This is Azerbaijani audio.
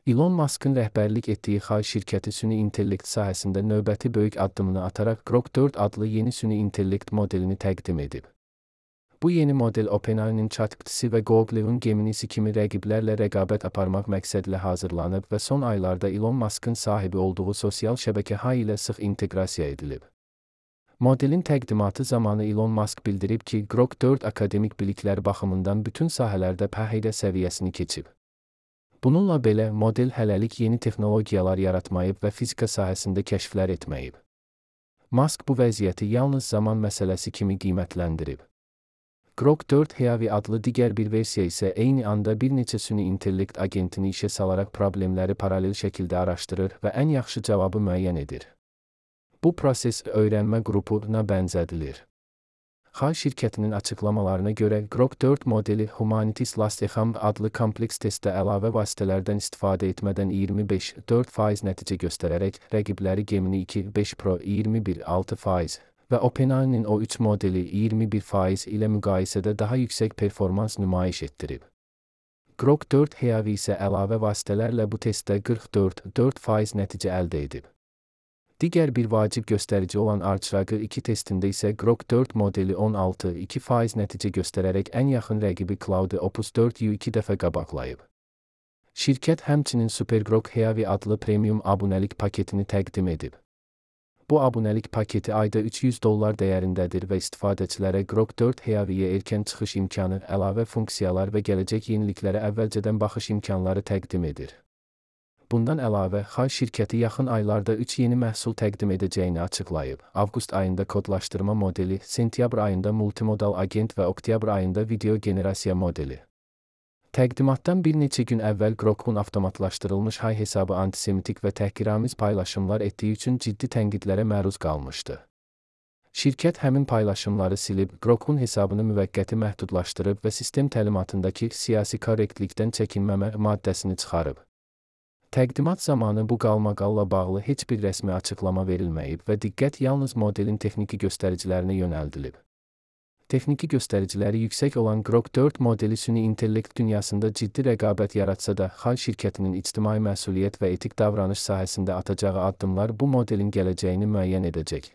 Elon Musk'ın rəhbərlik etdiyi Xay şirkəti süni intellekt sahəsində növbəti böyük addımını ataraq Grok 4 adlı yeni süni intellekt modelini təqdim edib. Bu yeni model OpenAI'nin ChatGPT-si və Google'un Gemini'si kimi rəqiblərlə rəqabət aparmaq məqsədlə hazırlanıb və son aylarda Elon Musk'ın sahibi olduğu sosial şəbəkə Hay ilə sıx inteqrasiya edilib. Modelin təqdimatı zamanı Elon Musk bildirib ki, Grok 4 akademik biliklər baxımından bütün sahələrdə pəheydə səviyyəsini keçib. Bununla belə, model hələlik yeni texnologiyalar yaratmayıb və fizika sahəsində kəşflər etməyib. Musk bu vəziyyəti yalnız zaman məsələsi kimi qiymətləndirib. Grok 4 Huawei adlı digər bir versiya isə eyni anda bir neçə süni intellekt agentini işə salaraq problemləri paralel şəkildə araşdırır və ən yaxşı cavabı müəyyən edir. Bu proses öyrənmə qrupuna bənzədilir. Hay şirkətinin açıqlamalarına görə Grok 4 modeli Humanities Last-Exam adlı kompleks testdə əlavə vasitələrdən istifadə etmədən 25,4% nəticə göstərərək rəqibləri Gemini 2.5 Pro 21,6% və OpenAI'nin O3 modeli 21% ilə müqayisədə daha yüksək performans nümayiş etdirib. Grok 4 Huawei isə əlavə vasitələrlə bu testdə 44,4% nəticə əldə edib. Digər bir vacib göstərici olan ArchRiger 2 testində isə Grok 4 modeli 16,2% nəticə göstərərək ən yaxın rəqibi Claude Opus 4-ü 2 dəfə qabaqlayıb. Şirkət həmçinin SuperGrok Huawei adlı premium abunəlik paketini təqdim edib. Bu abunəlik paketi ayda $300 dəyərindədir və istifadəçilərə Grok 4 Huawei'yə erkən çıxış imkanı, əlavə funksiyalar və gələcək yeniliklərə əvvəlcədən baxış imkanları təqdim edir. Bundan əlavə, Hay şirkəti yaxın aylarda 3 yeni məhsul təqdim edəcəyini açıqlayıb. Avqust ayında kodlaşdırma modeli, sentyabr ayında multimodal agent və oktyabr ayında video generasiya modeli. Təqdimatdan bir neçə gün əvvəl Grok'un avtomatlaşdırılmış Hay hesabı antisemitik və təhqiramiz paylaşımlar etdiyi üçün ciddi tənqidlərə məruz qalmışdı. Şirkət həmin paylaşımları silib, Grok'un hesabını müvəqqəti məhdudlaşdırıb və sistem təlimatındakı siyasi korrektlikdən çəkinməmə maddəsini çıxarıb. Təqdimat zamanı bu qalmaqalla bağlı heç bir rəsmi açıqlama verilməyib və diqqət yalnız modelin texniki göstəricilərinə yönəldilib. Texniki göstəriciləri yüksək olan Grok 4 modeli süni intellekt dünyasında ciddi rəqabət yaratsa da, Hay şirkətinin ictimai məsuliyyət və etik davranış sahəsində atacağı addımlar bu modelin gələcəyini müəyyən edəcək.